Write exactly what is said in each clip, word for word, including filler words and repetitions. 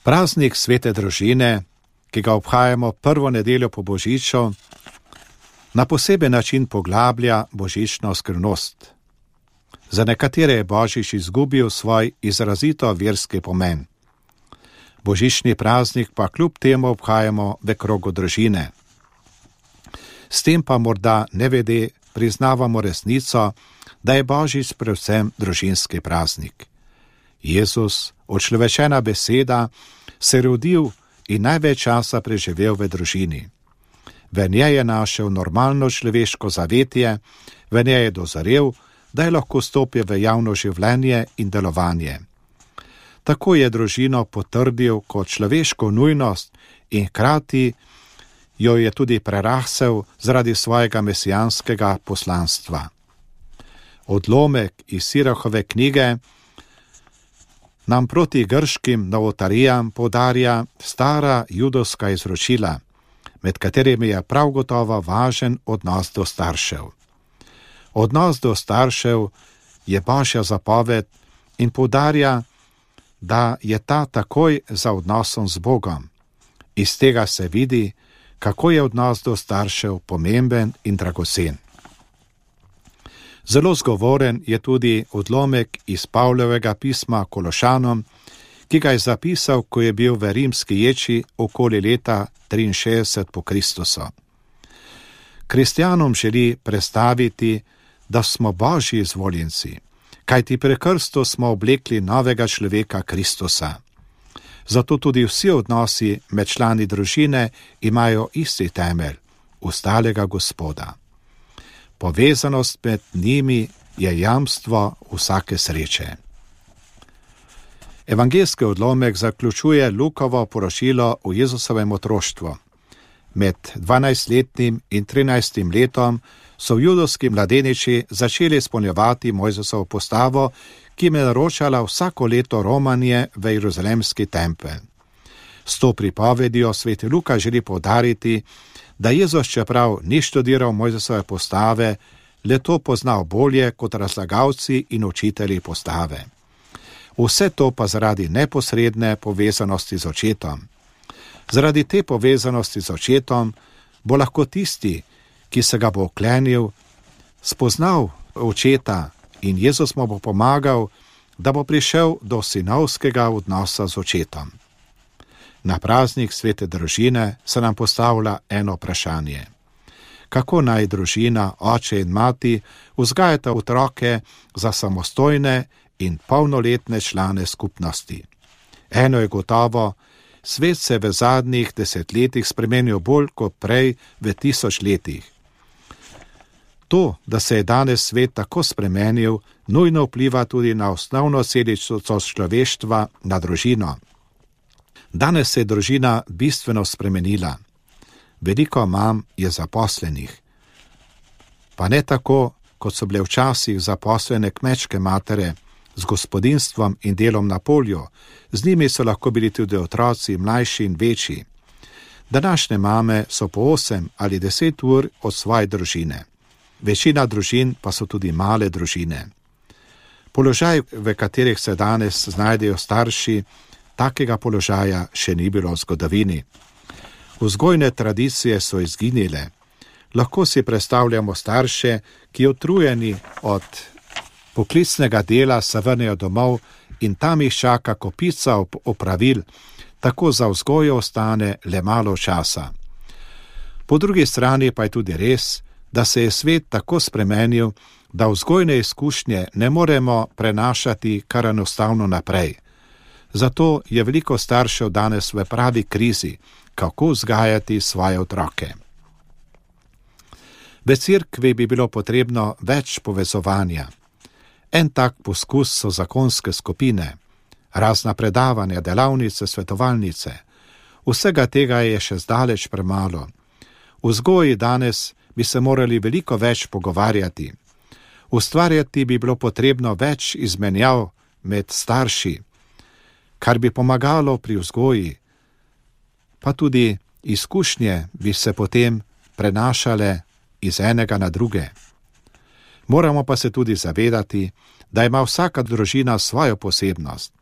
Praznik svete družine, ki ga obhajamo prvo nedeljo po božiču, na poseben način poglablja božično skrivnost. Za nekatere je božič izgubil svoj izrazito verski pomen. Božični praznik pa kljub temu obhajamo v krogu družine. S tem pa morda nevede priznavamo resnico, da je božič predvsem družinski praznik. Jezus, očlovečena beseda, se je rodil in največ časa preživel v družini. V njej je našel normalno človeško zavetje, v njej je dozorel, da je lahko stopil v javno življenje in delovanje. Tako je družino potrdil kot človeško nujnost in hkrati jo je tudi prerasel zaradi svojega mesijanskega poslanstva. Odlomek iz Sirahove knjige nam proti grškim novotarijam podarja stara judovska izročila, med katerimi je prav gotovo važen odnos do staršev. Odnos do staršev je Božja zapoved in poudarja, da je ta takoj za odnosom z Bogom. Iz tega se vidi, kako je odnos do staršev pomemben in dragocen. Zelo zgovoren je tudi odlomek iz Pavlovega pisma Kološanom, ki ga je zapisal, ko je bil v rimski ječi okoli leta triinšestdeset po Kristusu. Kristjanom želi predstaviti, da smo Božji izvoljenci, kajti pri krstu smo oblekli novega človeka Kristusa. Zato tudi vsi odnosi med člani družine imajo isti temelj, ustalega Gospoda. Povezanost med njimi je jamstvo vsake sreče. Evangeljski odlomek zaključuje Lukovo poročilo o Jezusovem otroštvu. Med dvanajstletnim in trinajstim letom so judovski mladeniči začeli izpolnjevati Mojzesovo postavo, ki jim je naročala vsako leto romanje v Jeruzalemski tempelj. S to pripovedijo sveti Luka želi poudariti, da Jezus, čeprav ni študiral Mojzesove postave, le to poznal bolje kot razlagalci in učitelji postave. Vse to pa zaradi neposredne povezanosti z očetom. Zaradi te povezanosti z očetom bo lahko tisti, ki se ga bo oklenil, spoznal očeta in Jezus mu bo pomagal, da bo prišel do sinovskega odnosa z očetom. Na praznik svete družine se nam postavlja eno vprašanje. Kako naj družina, oče in mati vzgajata otroke za samostojne in polnoletne člane skupnosti? Eno je gotovo, svet se v zadnjih desetletjih spremenil bolj kot prej v tisoč letih. To, da se je danes svet tako spremenil, nujno vpliva tudi na osnovno središče človeštva, na družino. Danes se je družina bistveno spremenila. Veliko mam je zaposlenih. Pa ne tako, kot so bile včasih zaposlene kmečke matere z gospodinstvom in delom na polju. Z njimi so lahko bili tudi otroci, mlajši in večji. Današnje mame so po osem ali deset ur od svoje družine. Večina družin pa so tudi male družine. Položaj, v katerih se danes znajdejo starši, takega položaja še ni bilo v zgodovini. Vzgojne tradicije so izginile. Lahko si predstavljamo starše, ki utrujeni od poklicnega dela se vrnejo domov in tam jih čaka kopica opravil, tako za vzgojo ostane le malo časa. Po drugi strani pa je tudi res, da se je svet tako spremenil, da vzgojne izkušnje ne moremo prenašati kar enostavno naprej. Zato je veliko staršev danes v pravi krizi, kako vzgajati svoje otroke. V cerkvi bi bilo potrebno več povezovanja. En tak poskus so zakonske skupine, razna predavanja, delavnice, svetovalnice. Vsega tega je še zdaleč premalo. V vzgoji danes bi se morali veliko več pogovarjati. Ustvarjati bi bilo potrebno več izmenjav med starši, kar bi pomagalo pri vzgoji, pa tudi izkušnje bi se potem prenašale iz enega na druge. Moramo pa se tudi zavedati, da ima vsaka družina svojo posebnost.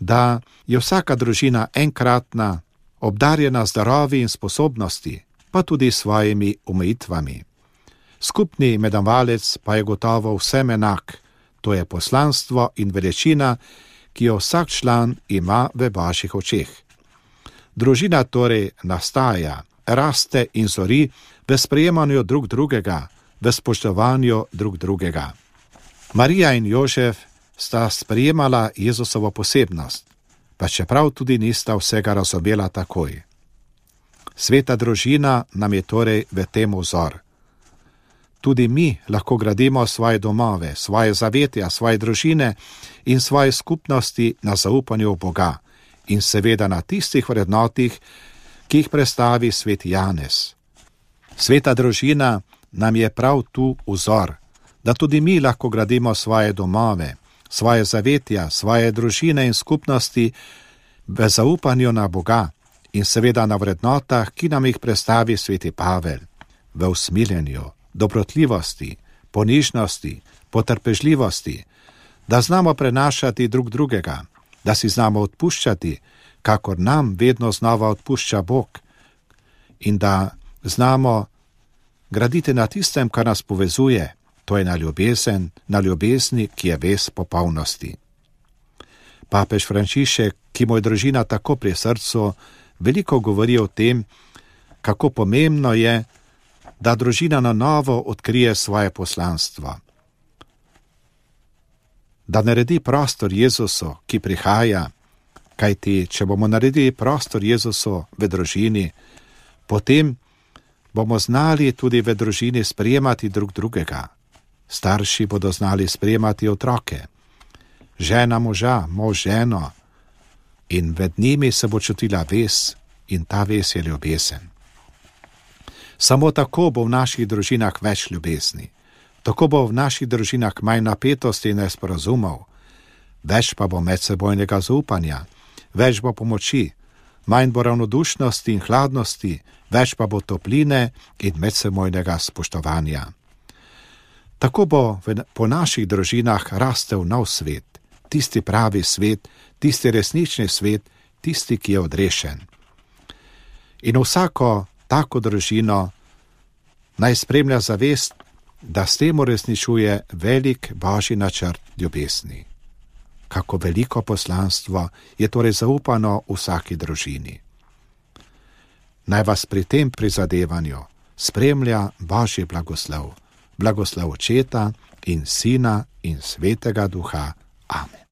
da je vsaka družina enkratna, obdarjena z darovi in sposobnosti, pa tudi svojimi omejitvami. Skupni imenovalec pa je gotovo vsem enak, to je poslanstvo in veličina, ki jo vsak član ima v Božjih očeh. Družina torej nastaja, raste in zori v sprejemanju drug drugega, v spoštovanju drug drugega. Marija in Jožef sta sprejemala Jezusovo posebnost, pa čeprav tudi nista vsega razumela takoj. Sveta družina nam je torej v tem vzor. Tudi mi lahko gradimo svoje domove, svoje zavetja, svoje družine in svoje skupnosti na zaupanju v Boga in seveda na tistih vrednotih, ki jih predstavi sveti Janez. Sveta družina nam je prav tu vzor, da tudi mi lahko gradimo svoje domove, svoje zavetja, svoje družine in skupnosti v zaupanju na Boga in seveda na vrednotah, ki nam jih predstavi sveti Pavel, v usmiljenju, dobrotljivosti, ponižnosti, potrpežljivosti, da znamo prenašati drug drugega, da si znamo odpuščati, kakor nam vedno znova odpušča Bog, in da znamo graditi na tistem, kar nas povezuje, to je na ljubezen, na ljubezni, ki je vez popolnosti. Papež Frančišek, ki mu je družina tako pri srcu, veliko govori o tem, kako pomembno je, da družina na novo odkrije svoje poslanstvo. Da naredi prostor Jezusu, ki prihaja, kajti če bomo naredili prostor Jezusu v družini, potem bomo znali tudi v družini sprejemati drug drugega. Starši bodo znali sprejemati otroke, žena moža, mož ženo, in med njimi se bo čutila vez in ta vez je ljubezen. Samo tako bo v naših družinah več ljubezni, tako bo v naših družinah manj napetosti in nesporazumov, več pa bo medsebojnega zaupanja, več bo pomoči, manj bo ravnodušnosti in hladnosti, več pa bo topline in medsebojnega spoštovanja. Tako bo po naših družinah rastel nov svet, tisti pravi svet, tisti resnični svet, tisti, ki je odrešen. In vsako tako družino naj spremlja zavest, da s tem uresničuje velik Božji načrt ljubezni. Kako veliko poslanstvo je torej zaupano vsaki družini. Naj vas pri tem prizadevanju spremlja Božji blagoslov, blagoslov Očeta in Sina in Svetega Duha. Amen.